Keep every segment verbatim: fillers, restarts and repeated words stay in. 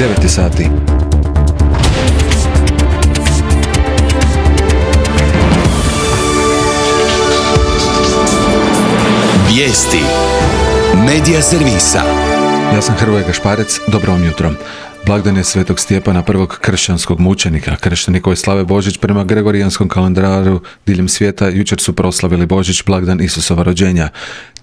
devet sati. Vijesti Medija servisa. Ja sam Hrvoje Gašparec, dobro vam jutro. Blagdan je Svetog Stjepana, prvog kršćanskog mučenika. Kršćani koji slave Božić prema Gregorijanskom kalendaru diljem svijeta jučer su proslavili Božić, blagdan Isusova rođenja.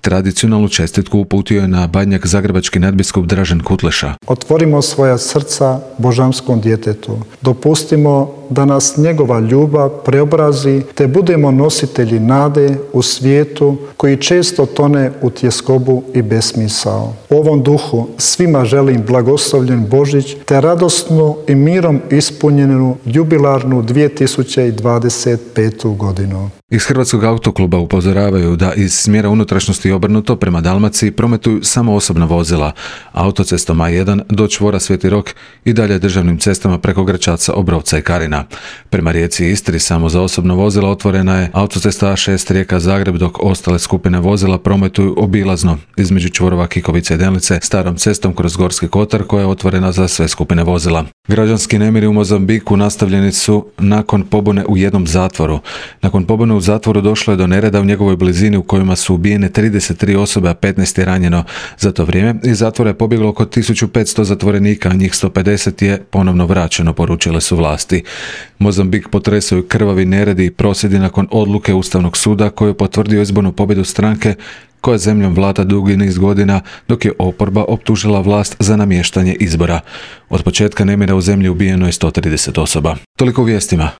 Tradicionalnu čestitku uputio je na Badnjak zagrebački nadbiskup Dražen Kutleša. Otvorimo svoja srca božanskom djetetu. Dopustimo da nas njegova ljubav preobrazi, te budemo nositelji nade u svijetu koji često tone u tjeskobu i besmisao. U ovom duhu svima želim blagoslovljen Božić, te radosnu i mirom ispunjenu jubilarnu dvije tisuće dvadeset petu godinu. Iz Hrvatskog autokluba upozoravaju da iz smjera unutrašnjosti obrnuto prema Dalmaciji prometuju samo osobna vozila, autocestom A jedan do čvora Sveti Rok i dalje državnim cestama preko Gračaca, Obrovca i Karina. Prema Rijeci i Istri samo za osobna vozila otvorena je autocesta A šest Rijeka-Zagreb, dok ostale skupine vozila prometuju obilazno između čvorova Kikovice i Delnice starom cestom kroz Gorski kotar koja je otvorena za sve skupine vozila. Građanski nemiri u Mozambiku nastavljeni su nakon pobune u jednom zatvoru. Nakon pobune u zatvoru došlo je do nereda u njegovoj blizini u kojima su ubijene trideset tri osobe, a petnaest je ranjeno. Za to vrijeme iz zatvora je pobjeglo oko tisuću petsto zatvorenika, a njih sto pedeset je ponovno vraćeno, poručile su vlasti. Mozambik potresaju krvavi neredi i prosvjedi nakon odluke Ustavnog suda koji je potvrdio izbornu pobjedu stranke koja zemljom vlada dugi niz godina, dok je oporba optužila vlast za namještanje izbora. Od početka nemira u zemlji ubijeno je sto trideset osoba. Toliko u vijestima.